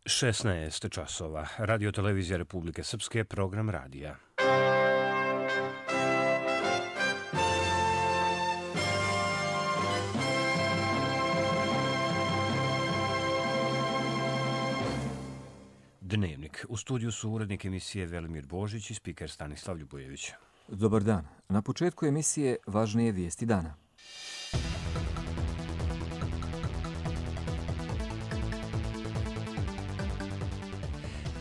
16 časova. Radio Televizija Republike Srpske, program radija. Dnevnik. U studiju su urednik emisije Velimir Božić i spiker Stanislav Ljubojević. Dobar dan. Na početku emisije važnije vijesti dana.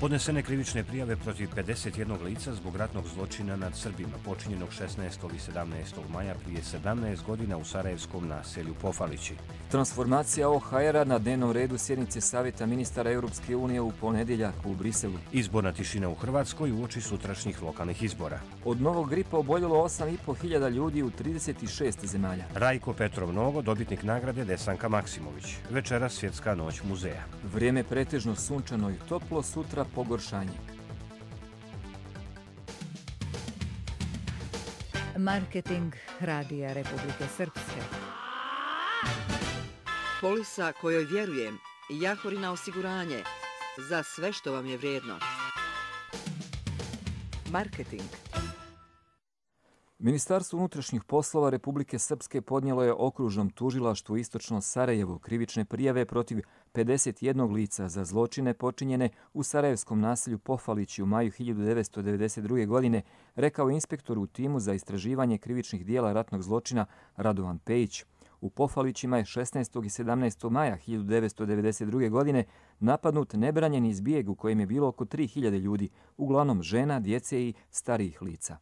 Podnesene krivične prijave protiv 51 lica zbog ratnog zločina nad Srbima, počinjenog 16. i 17. maja prije 17 godina u sarajevskom naselju Pofalići. Transformacija OHR-a na dnevnom redu sjednice Savjeta ministara Europske unije u ponedjeljak u Briselu. Izborna tišina u Hrvatskoj uoči sutrašnjih lokalnih izbora. Od novog gripa oboljelo 8.500 ljudi u 36 zemalja. Rajko Petrov Nogo, dobitnik nagrade Desanka Maksimović. Večeras svjetska noć muzeja. Vrijeme pretežno sunčano i toplo, sutra pogoršanje. Marketing Radija Republike Srpske. Polisa kojoj vjerujem, Jahorina osiguranje, za sve što vam je vrijedno. Marketing. Ministarstvo unutrašnjih poslova Republike Srpske podnijelo je okružnom tužilaštvu Istočno Sarajevo krivične prijave protiv 51 lica za zločine počinjene u sarajevskom naselju Pofalići u maju 1992. godine, rekao inspektor u timu za istraživanje krivičnih dijela ratnog zločina Radovan Pejić. U Pofalićima je 16. i 17. maja 1992. godine napadnut nebranjeni izbijeg u kojem je bilo oko 3000 ljudi, uglavnom žena, djece i starijih lica.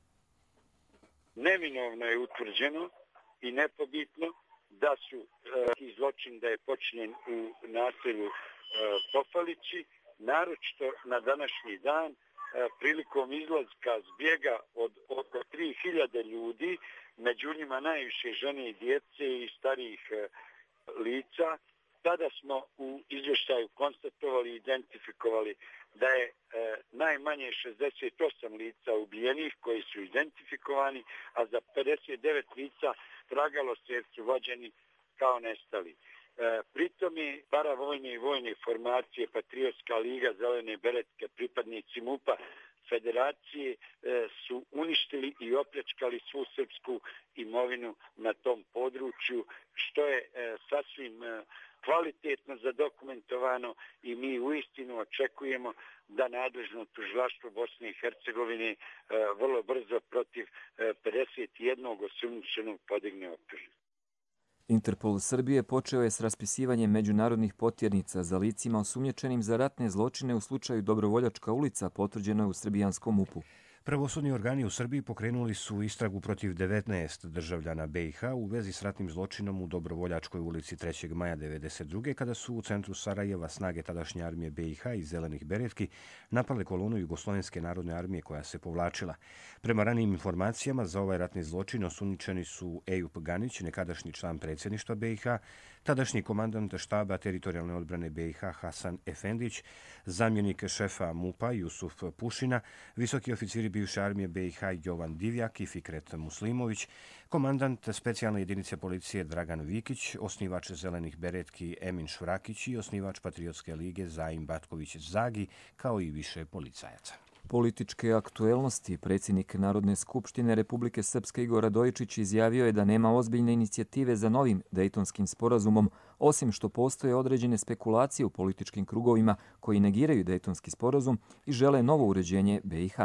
Neminovno je utvrđeno i nepobitno da su zločin da je počinjen u naselju Pofalići, naročito na današnji dan prilikom izlaska zbjega od oko 3000 ljudi, među njima najviše žene i djece i starijih lica. Tada smo u izvještaju konstatovali i identifikovali da je najmanje 68 lica ubijenih koji su identifikovani, a za 59 lica tragalo se jer su vođeni kao nestali. Pritom je paravojne i vojne formacije Patriotska liga, Zelene beretke, pripadnici MUP-a Federacije su uništili i opljačkali svu srpsku imovinu na tom području, što je sasvim kvalitetno zadokumentovano i mi uistinu očekujemo da nadležno tužilaštvo Bosne i Hercegovine vrlo brzo protiv 51 osumnjičenog podigne optužnicu. Interpol Srbije počeo je s raspisivanjem međunarodnih potjernica za licima osumnjičenim za ratne zločine u slučaju Dobrovoljačka ulica, potvrđeno je u srbijanskom MUP-u. Pravosudni organi u Srbiji pokrenuli su istragu protiv 19 državljana BiH u vezi s ratnim zločinom u Dobrovoljačkoj ulici 3. maja 1992. kada su u centru Sarajeva snage tadašnje armije BiH i Zelenih beretki napale kolonu Jugoslovenske narodne armije koja se povlačila. Prema ranijim informacijama za ovaj ratni zločin osumnjičeni su Ejup Ganić, nekadašnji član predsjedništva BiH, tadašnji komandant štaba teritorijalne odbrane BiH Hasan Efendić, zamjenik šefa MUP-a Jusuf Pušina, visoki oficiri bivše armije BiH Jovan Divjak i Fikret Muslimović, komandant specijalne jedinice policije Dragan Vikić, osnivač Zelenih beretki Emin Švrakić i osnivač Patriotske lige Zaim Batković Zagi, kao i više policajaca. Političke aktuelnosti. Predsjednik Narodne skupštine Republike Srpske Igor Radojičić izjavio je da nema ozbiljne inicijative za novim Dejtonskim sporazumom, osim što postoje određene spekulacije u političkim krugovima koji negiraju Dejtonski sporazum i žele novo uređenje BiH.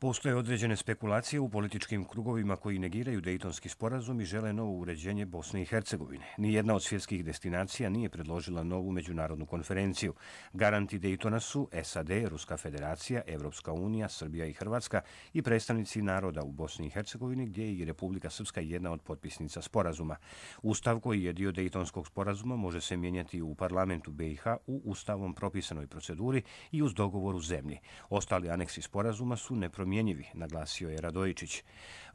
Postoje određene spekulacije u političkim krugovima koji negiraju Dejtonski sporazum i žele novo uređenje Bosne i Hercegovine. Nijedna od svjetskih destinacija nije predložila novu međunarodnu konferenciju. Garanti Dejtona su SAD, Ruska federacija, Evropska unija, Srbija i Hrvatska i predstavnici naroda u Bosni i Hercegovini, gdje je i Republika Srpska jedna od potpisnica sporazuma. Ustav koji je dio Dejtonskog sporazuma može se mijenjati u parlamentu BiH u ustavom propisanoj proceduri i uz dogovor u zemlji. Ostali aneksi sporazuma su nepromijenjeni nesmjenjivi, naglasio je Radojičić.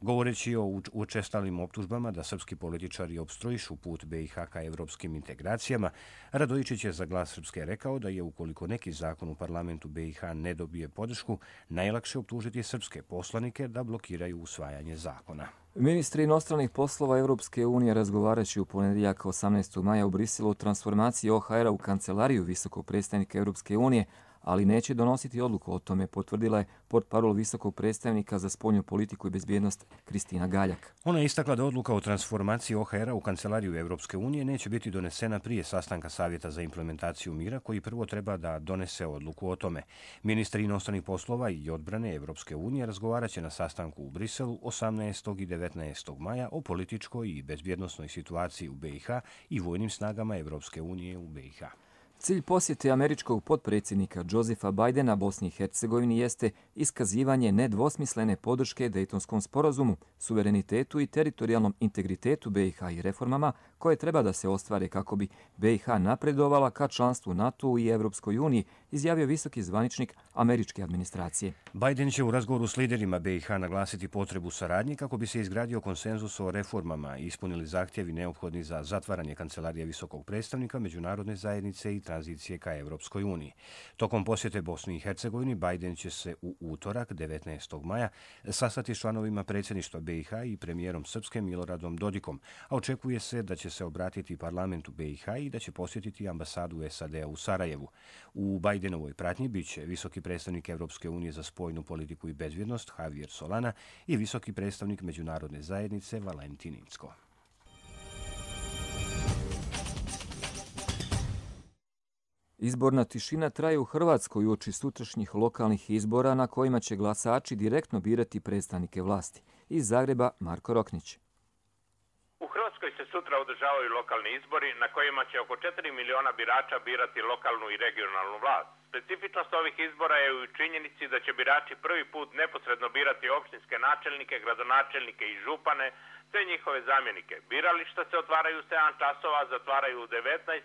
Govoreći o učestalim optužbama da srpski političari opstruišu put BiH ka evropskim integracijama, Radojičić je za Glas Srpske rekao da je ukoliko neki zakon u parlamentu BiH ne dobije podršku, najlakše optužiti srpske poslanike da blokiraju usvajanje zakona. Ministri inostranih poslova Europske unije razgovarajući u ponedjeljak 18. maja u Briselu o transformaciji OHR-a u kancelariju visokog predstavnika Europske unije, ali neće donositi odluku o tome, potvrdila je portparol visokog predstavnika za spoljnu politiku i bezbjednost Kristina Galjak. Ona je istakla da odluka o transformaciji OHR-a u kancelariju Europske unije neće biti donesena prije sastanka Savjeta za implementaciju mira, koji prvo treba da donese odluku o tome. Ministri inostranih poslova i odbrane Europske unije razgovaraće na sastanku u Briselu 18. i 19. maja o političkoj i bezbjednosnoj situaciji u BiH i vojnim snagama Europske unije u BiH. Cilj posjete američkog potpredsjednika Josepha Bidena Bosni i Hercegovini jeste iskazivanje nedvosmislene podrške Dejtonskom sporazumu, suverenitetu i teritorijalnom integritetu BiH i reformama koje treba da se ostvare kako bi BiH napredovala ka članstvu NATO i Evropskoj uniji, izjavio visoki zvaničnik američke administracije. Biden će u razgovoru s liderima BiH naglasiti potrebu saradnje kako bi se izgradio konsenzus o reformama i ispunili zahtjevi neophodni za zatvaranje kancelarije visokog predstavnika međunarodne zajednice i tranzicije ka Evropskoj uniji. Tokom posjete Bosni i Hercegovini, Biden će se u utorak, 19. maja, sastati s članovima predsjedništva BiH i premijerom Srpske Miloradom Dodikom, a očekuje se da će se obratiti parlamentu BiH i da će posjetiti ambasadu SAD-a u Sarajevu. U Bidenovoj pratnji biće visoki predstavnik Evropske unije za spoljnu politiku i bezbjednost Javier Solana i visoki predstavnik međunarodne zajednice Valentin Incko. Izborna tišina traje u Hrvatskoj uoči sutrašnjih lokalnih izbora na kojima će glasači direktno birati predstavnike vlasti. Iz Zagreba Marko Roknić. U Hrvatskoj se sutra održavaju lokalni izbori na kojima će oko 4 miliona birača birati lokalnu i regionalnu vlast. Specifičnost ovih izbora je u činjenici da će birači prvi put neposredno birati opštinske načelnike, gradonačelnike i župane, te njihove zamjenike. Birališta se otvaraju u 7 časova, zatvaraju u 19,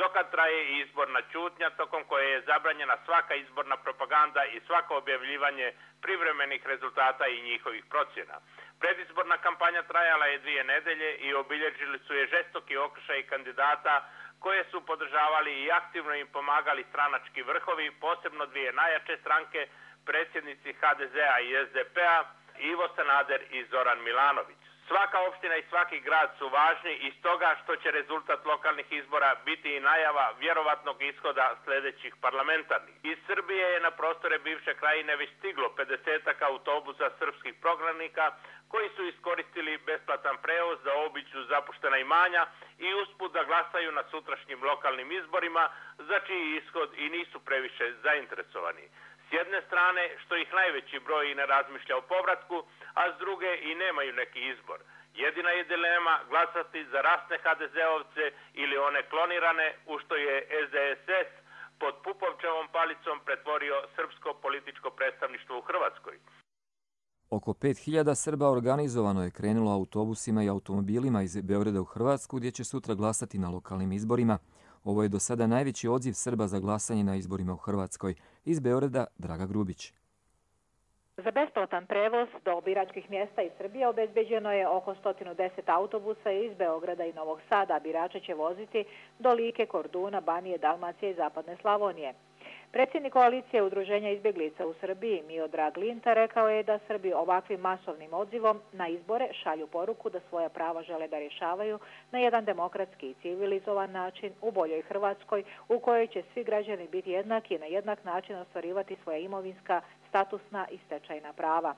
dokad traje i izborna ćutnja tokom koje je zabranjena svaka izborna propaganda i svako objavljivanje privremenih rezultata i njihovih procjena. Predizborna kampanja trajala je 2 nedelje i obilježili su je žestoki okršaj kandidata koje su podržavali i aktivno im pomagali stranački vrhovi, posebno 2 najjače stranke, predsjednici HDZ-a i SDP-a, Ivo Sanader i Zoran Milanović. Svaka opština i svaki grad su važni i stoga što će rezultat lokalnih izbora biti i najava vjerovatnog ishoda sljedećih parlamentarnih. Iz Srbije je na prostore bivše krajine već stiglo 50-ak autobusa srpskih prognanika koji su iskoristili besplatan prevoz da obiđu zapuštena imanja i usput da glasaju na sutrašnjim lokalnim izborima za čiji ishod i nisu previše zainteresovani. S jedne strane što ih najveći broj i ne razmišlja o povratku, a s druge i nemaju neki izbor. Jedina je dilema glasati za rasne HDZ-ovce ili one klonirane, u što je SDSS pod Pupovčevom palicom pretvorio srpsko političko predstavništvo u Hrvatskoj. Oko 5000 Srba organizovano je krenulo autobusima i automobilima iz Beograda u Hrvatsku gdje će sutra glasati na lokalnim izborima. Ovo je do sada najveći odziv Srba za glasanje na izborima u Hrvatskoj. Iz Beograda Draga Grubić. Za besplatan prevoz do biračkih mjesta iz Srbije obezbeđeno je oko 110 autobusa iz Beograda i Novog Sada. Birače će voziti do Like, Korduna, Banije, Dalmacije i Zapadne Slavonije. Predsjednik koalicije Udruženja izbjeglica u Srbiji Miodrag Linta rekao je da Srbi ovakvim masovnim odzivom na izbore šalju poruku da svoja prava žele da rješavaju na jedan demokratski i civilizovan način u boljoj Hrvatskoj u kojoj će svi građani biti jednaki i na jednak način ostvarivati svoja imovinska, statusna i stečajna prava.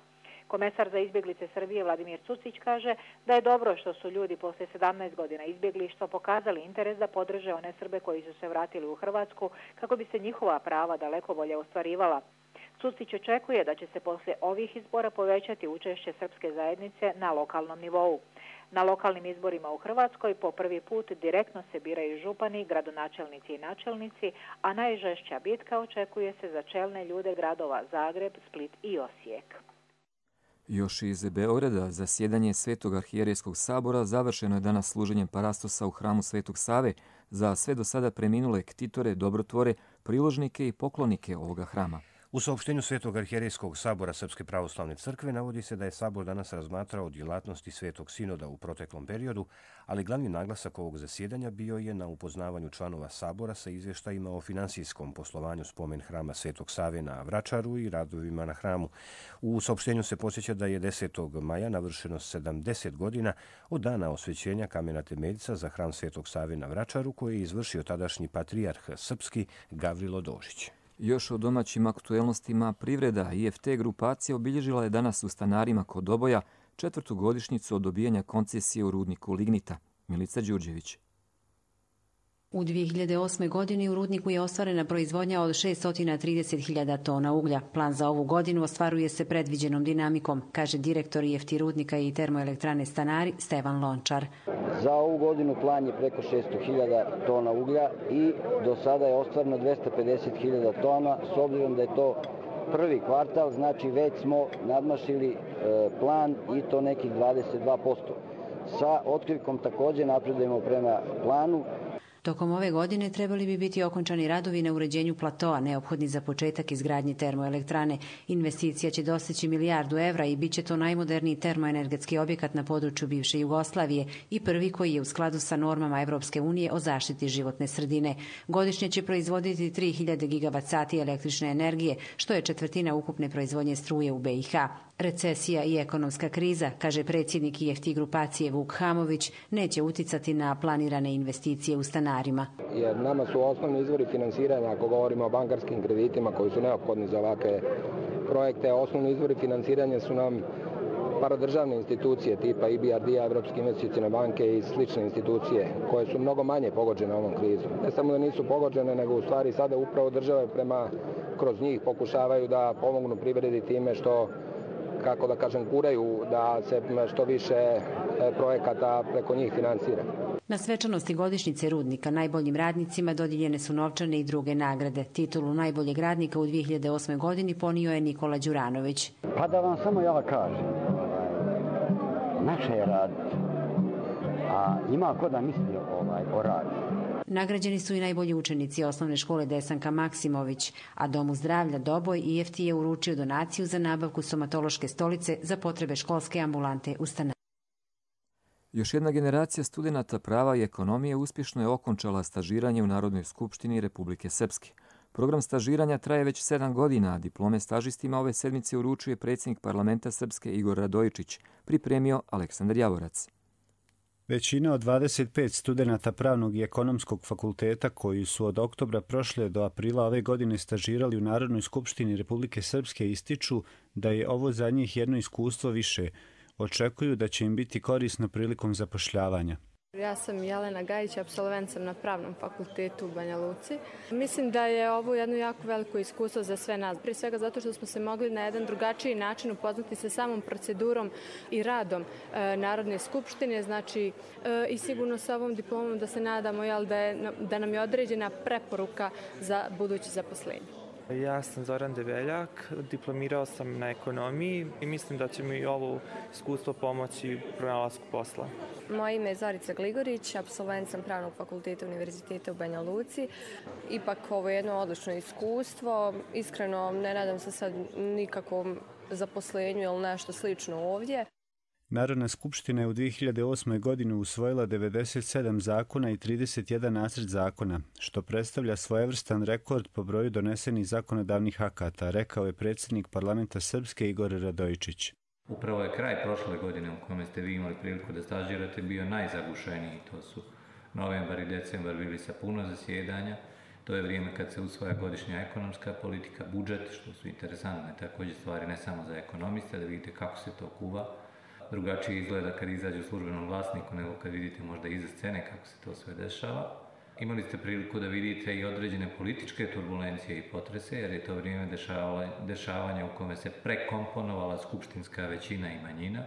Komesar za izbjeglice Srbije Vladimir Cucić kaže da je dobro što su ljudi poslije 17 godina izbjeglištva pokazali interes da podrže one Srbe koji su se vratili u Hrvatsku kako bi se njihova prava daleko bolje ostvarivala. Cucić očekuje da će se poslije ovih izbora povećati učešće srpske zajednice na lokalnom nivou. Na lokalnim izborima u Hrvatskoj po prvi put direktno se biraju župani, gradonačelnici i načelnici, a najžešća bitka očekuje se za čelne ljude gradova Zagreb, Split i Osijek. Još iz Beograda zasjedanje Svetog arhijerejskog sabora završeno je danas služenjem parastosa u hramu Svetog Save za sve do sada preminule ktitore, dobrotvore, priložnike i poklonike ovoga hrama. U saopštenju Svetog arhijerejskog sabora Srpske pravoslavne crkve navodi se da je sabor danas razmatrao djelatnosti Svetog sinoda u proteklom periodu, ali glavni naglasak ovog zasjedanja bio je na upoznavanju članova sabora sa izvještajima o finansijskom poslovanju spomen hrama Svetog Save na Vračaru i radovima na hramu. U saopštenju se podsjeća da je 10. maja navršeno 70 godina od dana osvećenja kamena temeljca za hram Svetog Save na Vračaru, koji je izvršio tadašnji patrijarh srpski Gavrilo Dožić. Još o domaćim aktuelnostima privreda IFT grupacija obilježila je danas u Stanarima kod Oboja 4. godišnjicu od dobijanja koncesije u rudniku lignita. Milica Đurđević. U 2008. godini u rudniku je ostvarena proizvodnja od 630.000 tona uglja. Plan za ovu godinu ostvaruje se predviđenom dinamikom, kaže direktor IFT rudnika i termoelektrane Stanari Stevan Lončar. Za ovu godinu plan je preko 600.000 tona uglja i do sada je ostvareno 250.000 tona. S obzirom da je to prvi kvartal, znači već smo nadmašili plan i to nekih 22%. Sa otkrivkom također napredujemo prema planu. Tokom ove godine trebali bi biti okončani radovi na uređenju platoa, neophodni za početak izgradnje termoelektrane. Investicija će dostići milijardu evra i bit će to najmoderniji termoenergetski objekat na području bivše Jugoslavije i prvi koji je u skladu sa normama Evropske unije o zaštiti životne sredine. Godišnje će proizvoditi 3000 gigavat-sati električne energije, što je četvrtina ukupne proizvodnje struje u BiH. Recesija i ekonomska kriza, kaže predsjednik IFT grupacije Vuk Hamović, neće uticati na planirane investicije u Stanarima. Jer nama su osnovni izvori finansiranja, ako govorimo o bankarskim kreditima koji su neophodni za ovakve projekte, osnovni izvori finansiranja su nam paradržavne institucije tipa EBRD, Evropske investicione banke i slične institucije koje su mnogo manje pogođene ovom krizom. Ne samo da nisu pogođene, nego u stvari sada upravo države kroz njih pokušavaju da pomognu privredi time što, kako da kažem, guraju da se što više projekata preko njih finansira. Na svečanosti godišnjice rudnika najboljim radnicima dodijeljene su novčane i druge nagrade. Titulu najboljeg radnika u 2008. godini ponio je Nikola Đuranović. Pa da vam samo ja kažem, naše je raditi, a ima ko da misli o radu. Nagrađeni su i najbolji učenici osnovne škole Desanka Maksimović, a Domu zdravlja Doboj IFT je uručio donaciju za nabavku stomatološke stolice za potrebe školske ambulante u Stanari. Još jedna generacija studenata prava i ekonomije uspješno je okončala stažiranje u Narodnoj skupštini Republike Srpske. Program stažiranja traje već 7 godina, a diplome stažistima ove sedmice uručuje predsjednik parlamenta Srpske Igor Radojičić, pripremio Aleksandar Javorac. Većina od 25 studenata pravnog i ekonomskog fakulteta koji su od oktobra prošle do aprila ove godine stažirali u Narodnoj skupštini Republike Srpske ističu da je ovo za njih jedno iskustvo više. Očekuju da će im biti korisno prilikom zapošljavanja. Ja sam Jelena Gajić, apsolvent sam na Pravnom fakultetu u Banja Luci. Mislim da je ovo jedno jako veliko iskustvo za sve nas. Prije svega zato što smo se mogli na jedan drugačiji način upoznati sa samom procedurom i radom Narodne skupštine. Znači, i sigurno sa ovom diplomom da se nadamo da nam je određena preporuka za buduće zaposlenje. Ja sam Zoran Debeljak, diplomirao sam na ekonomiji i mislim da će mi ovo iskustvo pomoći u pronalasku posla. Moje ime je Zorica Gligorić, apsolvent sam Pravnog fakulteta Univerziteta u Banja Luci. Ipak ovo je jedno odlično iskustvo. Iskreno ne nadam se sad nikakvom zaposlenju ili nešto slično ovdje. Narodna skupština je u 2008. godini usvojila 97 zakona i 31 nacrt zakona, što predstavlja svojevrstan rekord po broju donesenih zakonodavnih akata, rekao je predsjednik parlamenta Srpske Igor Radojičić. Upravo je kraj prošle godine u kome ste vi imali priliku da stažirate bio najzagušeniji. To su novembar i decembar bili sa puno zasjedanja. To je vrijeme kad se usvaja godišnja ekonomska politika, budžet, što su interesantne također stvari ne samo za ekonomiste, da vidite kako se to kuva. Drugačije izgleda kad izađe u službenom glasniku nego kad vidite možda iza scene kako se to sve dešava. Imali ste priliku da vidite i određene političke turbulencije i potrese, jer je to vrijeme dešavanja u kome se prekomponovala skupštinska većina i manjina.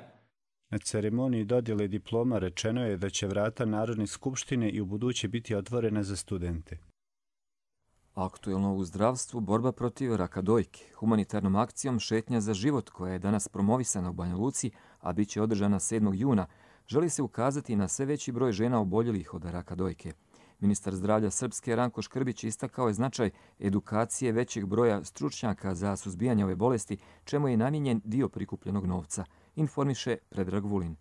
Na ceremoniji dodjele diploma rečeno je da će vrata Narodne skupštine i u buduće biti otvorena za studente. Aktuelno u zdravstvu borba protiv raka dojke. Humanitarnom akcijom Šetnja za život, koja je danas promovisana u Banja Luci, a bit će održana 7. juna, želi se ukazati na sve veći broj žena oboljelih od raka dojke. Ministar zdravlja Srpske Ranko Škrbić istakao je značaj edukacije većeg broja stručnjaka za suzbijanje ove bolesti, čemu je namijenjen dio prikupljenog novca, informiše Predrag Vulin.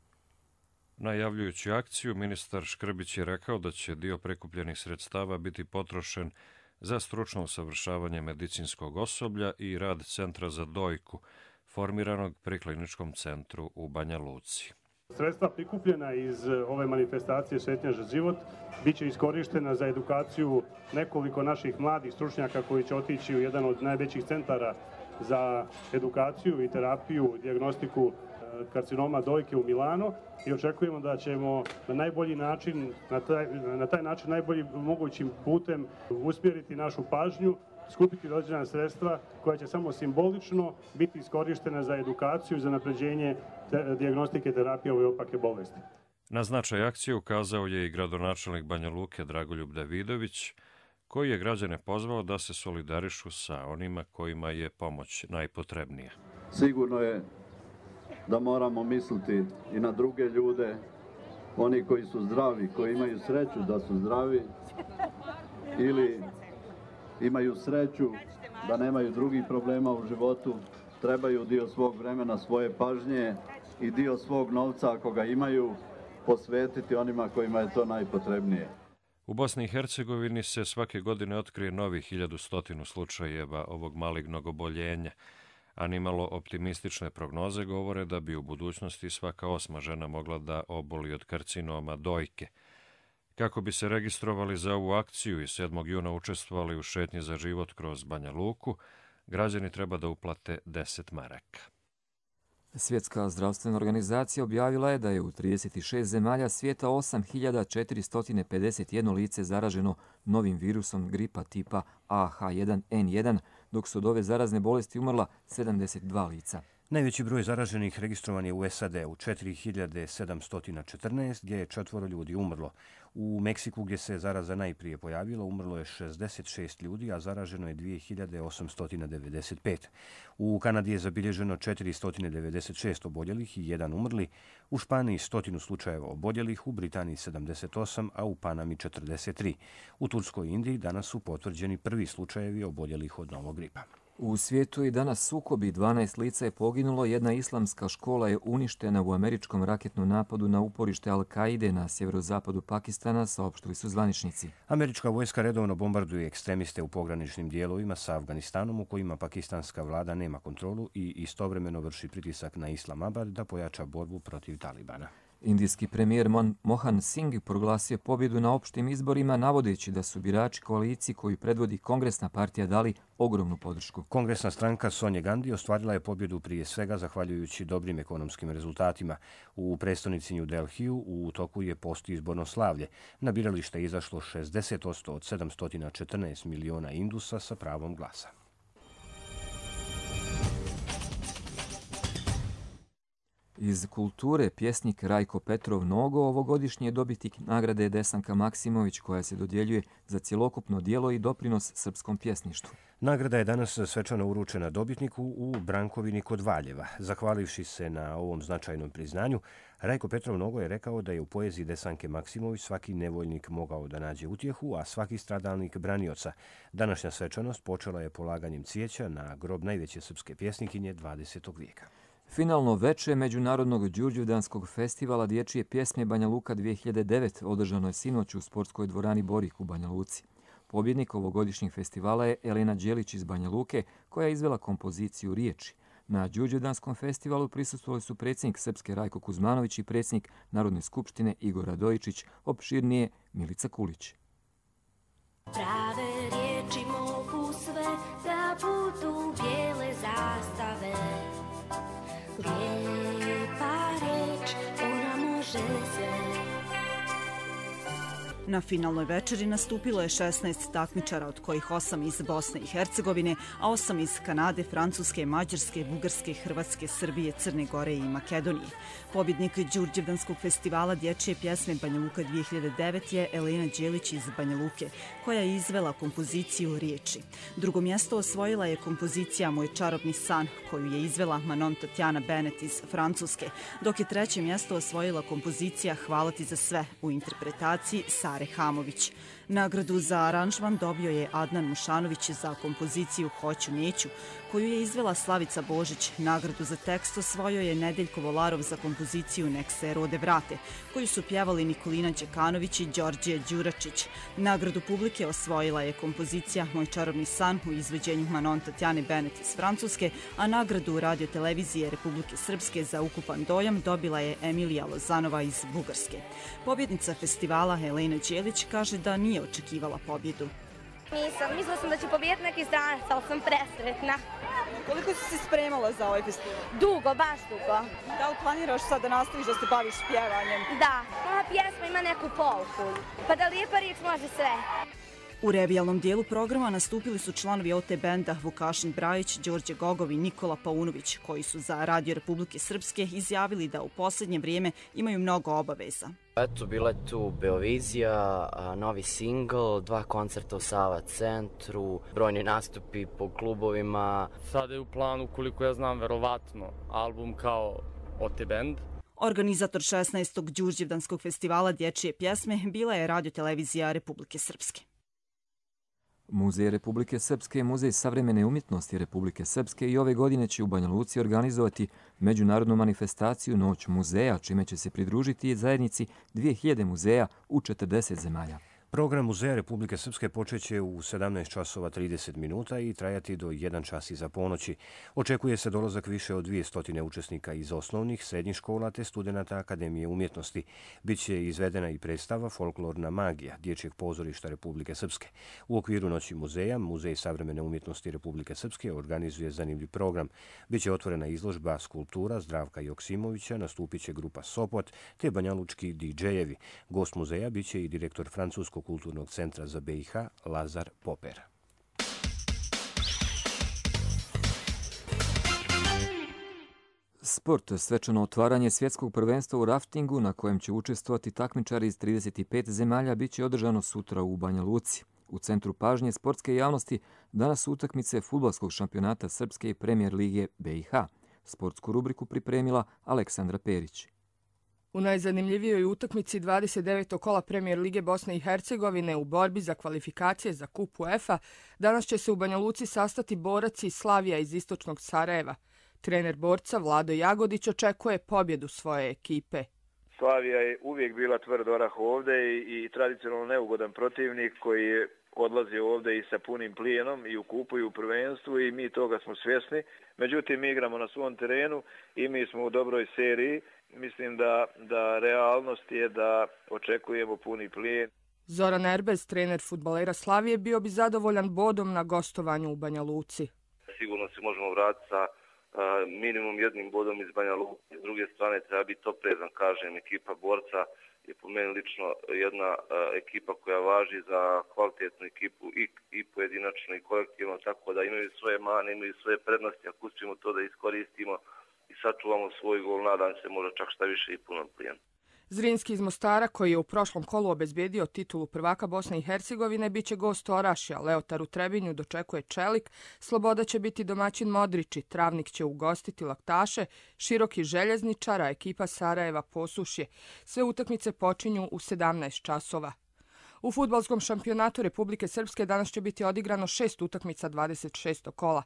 Najavljujući akciju, ministar Škrbić je rekao da će dio prikupljenih sredstava biti potrošen za stručno usavršavanje medicinskog osoblja i rad Centra za dojku, formiranog pri Kliničkom centru u Banja Luci. Sredstva prikupljena iz ove manifestacije Šetnja za život biće iskorištena za edukaciju nekoliko naših mladih stručnjaka koji će otići u jedan od najvećih centara za edukaciju i terapiju, dijagnostiku karcinoma dojke u Milano i očekujemo da ćemo na najbolji način, na taj način najboljim mogućim putem usmjeriti našu pažnju, skupiti određena sredstva koja će samo simbolično biti iskorištena za edukaciju i za napređenje dijagnostike terapije ove opake bolesti. Na značaj akcije ukazao je i gradonačelnik Banja Luke Dragoljub Davidović, koji je građane pozvao da se solidarišu sa onima kojima je pomoć najpotrebnija. Sigurno je da moramo misliti i na druge ljude, oni koji su zdravi, koji imaju sreću da su zdravi ili imaju sreću da nemaju drugih problema u životu, trebaju dio svog vremena, svoje pažnje i dio svog novca, ako ga imaju, posvetiti onima kojima je to najpotrebnije. U Bosni i Hercegovini se svake godine otkrije novih 1100 slučajeva ovog malignog oboljenja, a nimalo optimistične prognoze govore da bi u budućnosti svaka 8. žena mogla da oboli od karcinoma dojke. Kako bi se registrovali za ovu akciju i 7. juna učestvovali u šetnji za život kroz Banja Luku, građani treba da uplate 10 maraka. Svjetska zdravstvena organizacija objavila je da je u 36 zemalja svijeta 8451 lice zaraženo novim virusom gripa tipa AH1N1, dok su od ove zarazne bolesti umrla 72 lica. Najveći broj zaraženih registrovan je u SAD-u, 4714, gdje je 4 ljudi umrlo. U Meksiku, gdje se zaraza najprije pojavila, umrlo je 66 ljudi, a zaraženo je 2895. U Kanadi je zabilježeno 496 oboljelih i 1 umrli, u Španiji 100 slučajeva oboljelih, u Britaniji 78, a u Panami 43. U Turskoj i Indiji danas su potvrđeni prvi slučajevi oboljelih od novog gripa. U svijetu i danas sukobi, 12 lica je poginulo, jedna islamska škola je uništena u američkom raketnom napadu na uporište Al-Kaide na sjeverozapadu Pakistana, saopštili su zvaničnici. Američka vojska redovno bombarduje ekstremiste u pograničnim dijelovima sa Afganistanom, u kojima pakistanska vlada nema kontrolu i istovremeno vrši pritisak na Islamabad da pojača borbu protiv Talibana. Indijski premijer Mohan Singh proglasio pobjedu na opštim izborima, navodeći da su birači koaliciji koju predvodi Kongresna partija dali ogromnu podršku. Kongresna stranka Sonje Gandhi ostvarila je pobjedu prije svega zahvaljujući dobrim ekonomskim rezultatima. U prestonici New Delhiju u toku je postizborno slavlje. Na biralište je izašlo 60% od 714 miliona Indusa sa pravom glasa. Iz kulture pjesnik Rajko Petrov Nogo ovogodišnji je dobitnik nagrade Desanka Maksimović, koja se dodjeljuje za cjelokupno djelo i doprinos srpskom pjesništvu. Nagrada je danas svečano uručena dobitniku u Brankovini kod Valjeva. Zahvalivši se na ovom značajnom priznanju, Rajko Petrov Nogo je rekao da je u poeziji Desanke Maksimović svaki nevoljnik mogao da nađe utjehu, a svaki stradalnik branioca. Današnja svečanost počela je polaganjem cvijeća na grob najveće srpske pjesnikinje 20. vijeka. Finalno veče Međunarodnog Đurđevdanskog festivala dječje pjesme Banja Luka 2009 održano je sinoć u sportskoj dvorani Borik u Banja Luci. Pobjednik ovogodišnjeg festivala je Elena Đelić iz Banja Luke, koja je izvela kompoziciju Riječi. Na Đurđevdanskom festivalu prisustvovali su predsjednik Srpske Rajko Kuzmanović i predsjednik Narodne skupštine Igor Radojičić, opširnije Milica Kulić. Prave riječi mogu sve da budu bijele zastave. Lijepa reč, ona može sve. Na finalnoj večeri nastupilo je 16 takmičara, od kojih 8 iz Bosne i Hercegovine, a 8 iz Kanade, Francuske, Mađarske, Bugarske, Hrvatske, Srbije, Crne Gore i Makedonije. Pobjednik Đurđevdanskog festivala dječje pjesme Banja Luka 2009 je Elena Đelić iz Banja Luke, koja je izvela kompoziciju Riječi. Drugo mjesto osvojila je kompozicija Moj čarobni san, koju je izvela Manon Tatjana Bennett iz Francuske, dok je treće mjesto osvojila kompozicija Hvala ti za sve u interpretaciji Sare Hamović. Nagradu za aranžman dobio je Adnan Mušanović za kompoziciju Hoću neću, koju je izvela Slavica Božić. Nagradu za tekst osvojio je Nedeljko Volarov za kompoziciju Nek se rode vrate, koju su pjevali Nikolina Đekanović i Đorđe Đuračić. Nagradu publike osvojila je kompozicija Moj čarobni san u izvođenju Manon Tatjane Benet iz Francuske, a nagradu Radio-televizije Republike Srpske za ukupan dojam dobila je Emilija Lozanova iz Bugarske. Pobjednica festivala Helena Đelić kaže da nije očekivala pobjedu. Mislila sam da će pobijediti neki stranac, ali sam presretna. Koliko si se spremala za ovaj festival? Dugo, baš dugo. Da li planiraš sad da nastaviš da se baviš pjevanjem? Da, ova pjesma ima neku pouku. Pa da lijepa riječ može sve. U revijalnom dijelu programa nastupili su članovi OT benda Vukašin Brajić, Đorđe Gogov i Nikola Paunović, koji su za Radio Republike Srpske izjavili da u posljednje vrijeme imaju mnogo obaveza. Eto, bila je tu Beovizija, novi singl, 2 koncerta u Sava centru, brojni nastupi po klubovima. Sada je u planu, koliko ja znam, verovatno, album kao OT band. Organizator 16. Đurđevdanskog festivala dječje pjesme bila je Radio-televizija Republike Srpske. Muzej Republike Srpske i Muzej savremene umjetnosti Republike Srpske i ove godine će u Banja Luci organizovati međunarodnu manifestaciju Noć muzeja, čime će se pridružiti zajednici 2000 muzeja u 40 zemalja. Program Muzeja Republike Srpske počeće u 17 časova 30 minuta i trajati do 1 čas iza ponoći. Očekuje se dolazak više od 200 učesnika iz osnovnih, srednjih škola te studenata Akademije umjetnosti. Biće izvedena i predstava Folklorna magija Dječjeg pozorišta Republike Srpske. U okviru Noći muzeja, Muzej savremene umjetnosti Republike Srpske organizuje zanimljiv program. Biće otvorena izložba skulptura Zdravka Joksimovića, nastupit će grupa Sopot te banjalučki DJ-evi. Gost muzeja biće i direktor Francuskog kulturnog centra za BiH Lazar Poper. Sport, svečano otvaranje svjetskog prvenstva u raftingu na kojem će učestvovati takmičari iz 35 zemalja biće održano sutra u Banja Luci. U centru pažnje sportske javnosti danas su utakmice fudbalskog šampionata Srpske i Premijer lige BiH. Sportsku rubriku pripremila Aleksandra Perić. U najzanimljivijoj utakmici 29. kola Premijer lige Bosne i Hercegovine u borbi za kvalifikacije za kup UEFA danas će se u Banja Luci sastati borac iz Slavija iz istočnog Sarajeva. Trener borca Vlado Jagodić očekuje pobjedu svoje ekipe. Slavija je uvijek bila tvrd orah ovdje i tradicionalno neugodan protivnik koji je odlazi ovdje i sa punim plijenom i u kupu i u prvenstvu i mi toga smo svjesni. Međutim, mi igramo na svom terenu i mi smo u dobroj seriji. Mislim da realnost je da očekujemo puni plijen. Zoran Erbez, trener fudbalera Slavije, bio bi zadovoljan bodom na gostovanju u Banja Luci. Sigurno se možemo vratiti sa minimum 1 bodom iz Banja Luci. S druge strane treba biti oprezan, kažem, ekipa borca je po meni lično jedna ekipa koja važi za kvalitetnu ekipu i pojedinačno i kolektivno, tako da imaju svoje mane, imaju svoje prednosti, ako uspijemo to da iskoristimo i sačuvamo svoj gol, nadam se možda čak šta više i puno plijen. Zrinski iz Mostara, koji je u prošlom kolu obezbijedio titulu prvaka Bosne i Hercegovine, bit će gost Orašja. Leotar u Trebinju dočekuje Čelik, Sloboda će biti domaćin Modrići, Travnik će ugostiti Laktaše, Široki Željezničar, a ekipa Sarajeva Posušje. Sve utakmice počinju u 17 časova. U fudbalskom šampionatu Republike Srpske danas će biti odigrano 6 utakmica 26. kola.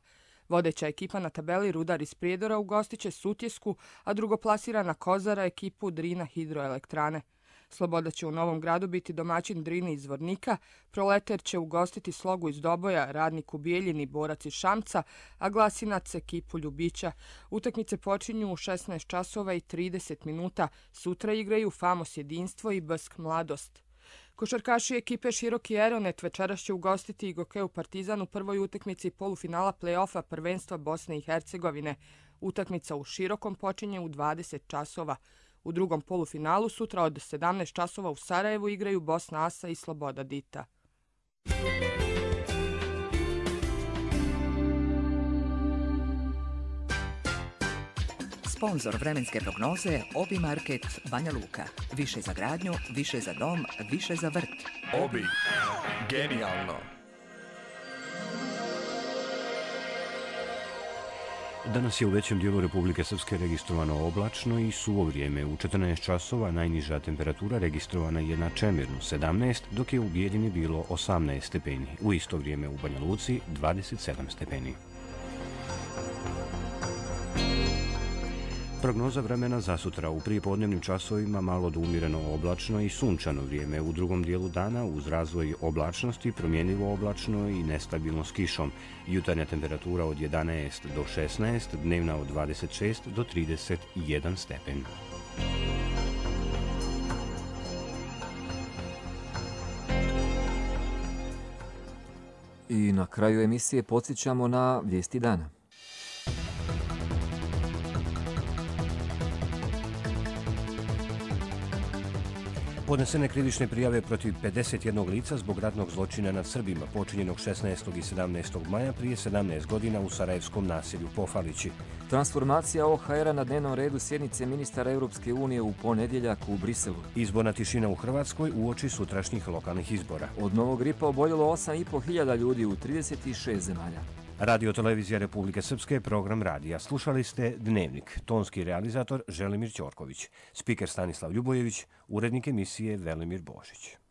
Vodeća ekipa na tabeli Rudar iz Prijedora ugostit će Sutjesku, a drugoplasirana Kozara ekipu Drina hidroelektrane. Sloboda će u Novom Gradu biti domaćin Drini iz Zvornika, Proleter će ugostiti Slogu iz Doboja, Radnik u Bijeljini, Borac iz Šamca, a Glasinac ekipu Ljubića. Utakmice počinju u 16 časova i 30 minuta. Sutra igraju Famos Jedinstvo i Bsk Mladost. Košarkaši ekipe Široki Eronet večeras će ugostiti i Gokeu Partizan u prvoj utakmici polufinala play-offa prvenstva Bosne i Hercegovine. Utakmica u Širokom počinje u 20 časova. U drugom polufinalu sutra od 17 časova u Sarajevu igraju Bosna Asa i Sloboda Dita. Sponzor vremenske prognoze Obi Market Banja Luka. Više za gradnju, više za dom, više za vrt. Obi. Genijalno. Danas je u većem dijelu Republike Srpske registrovano oblačno i suvo vrijeme. U 14 časova najniža temperatura registrovana je na Čemirnu 17, dok je u Bijeljini bilo 18 stepeni. U isto vrijeme u Banja Luci 27 stepeni. Prognoza vremena za sutra. U prijepodnevnim časovima malo do umjereno oblačno i sunčano vrijeme. U drugom dijelu dana uz razvoj oblačnosti promjenjivo oblačno i nestabilno s kišom. Jutarnja temperatura od 11 do 16, dnevna od 26 do 31 stepen. I na kraju emisije podsjećamo na vijesti dana. Podnesene krivične prijave protiv 51 lica zbog ratnog zločina nad Srbima počinjenog 16. i 17. maja prije 17 godina u sarajevskom naselju Pofalići. Transformacija OHR-a na dnevnom redu sjednice ministara Europske unije u ponedjeljak u Briselu. Izborna tišina u Hrvatskoj uoči sutrašnjih lokalnih izbora. Od novog gripa oboljelo 8.500 ljudi u 36 zemalja. Radio Televizija Republike Srpske, program radija. Slušali ste Dnevnik. Tonski realizator Želimir Ćorković. Spiker Stanislav Ljubojević, urednik emisije Velimir Božić.